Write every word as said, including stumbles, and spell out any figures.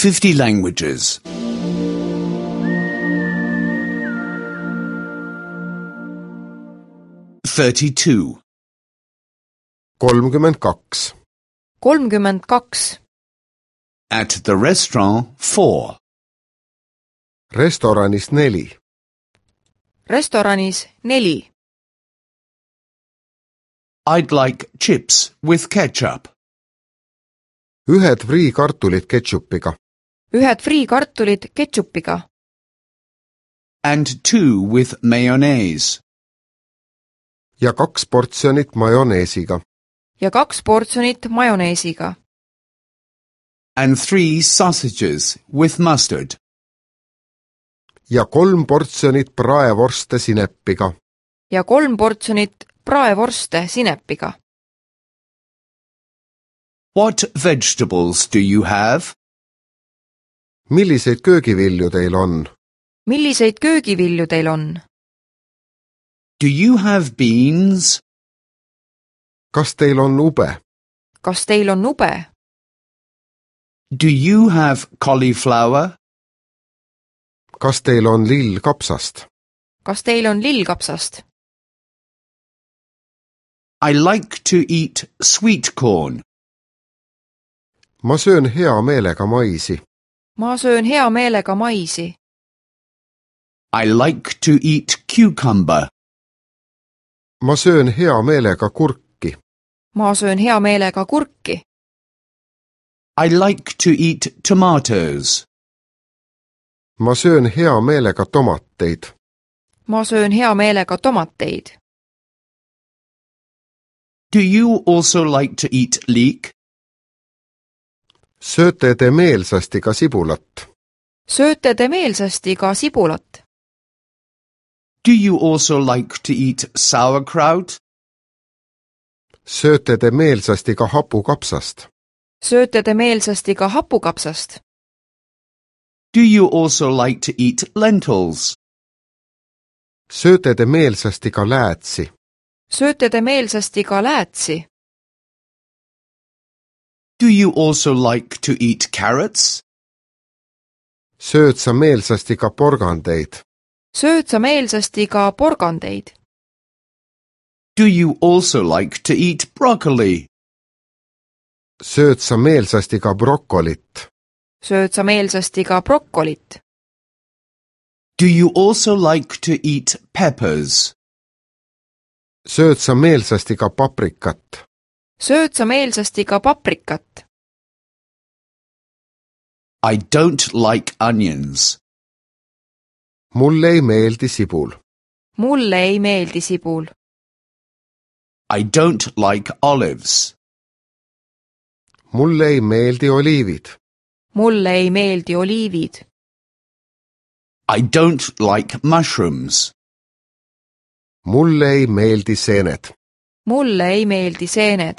fifty languages. thirty-two. kolmkümmend kaks. kolmkümmend kaks. At the restaurant, four. restoranis neli. restoranis neli. I'd like chips with ketchup. ühed friikartulid ketšupiga. ühed friikartulid ketšupiga. And two with mayonnaise. ja kaks portsjonit majoneesiga. ja kaks portsjonit majoneesiga. And three sausages with mustard. ja kolm portsjonit praevorste sinepiga. ja kolm portsjonit praevorste sinepiga. What vegetables do you have? milliseid köögivilju teil on? milliseid köögivilju teil on? Do you have beans? kas teil on ube? kas teil on ube? Do you have cauliflower? kas teil on lill kapsast? kas teil on lillkapsast? I like to eat sweet corn. ma söön hea meelega maisi. ma söön hea meelega maisi. I like to eat cucumber. ma söön hea meelega kurki. ma söön hea meelega kurki. I like to eat tomatoes. ma söön hea meelega tomateid. ma söön hea meelega tomateid. Do you also like to eat leek? sööte te meelsasti ka sibulat? sööte te meelsasti ka sibulat? Do you also like to eat sauerkraut? sööte te meelsasti ka hapukapsast? sööte te meelsasti ka hapukapsast? Do you also like to eat lentils? sööte te meelsasti ka läätsi? sööte te meelsasti ka läätsi? Do you also like to eat carrots? sööd sa meelsasti ka porgandeid? sööd sa meelsasti ka porgandeid? Do you also like to eat broccoli? sööd sa meelsasti ka brokolit? sööd sa meelsasti ka brokolit? Do you also like to eat peppers? sööd sa meelsasti ka paprikat? sööd sa meelsasti ka paprikat? I don't like onions. mulle ei meeldi sibul. mulle ei meeldi sibul. I don't like olives. mulle ei meeldi oliivid. mulle ei meeldi oliivid. I don't like mushrooms. mulle ei meeldi seened. mulle ei meeldi seened.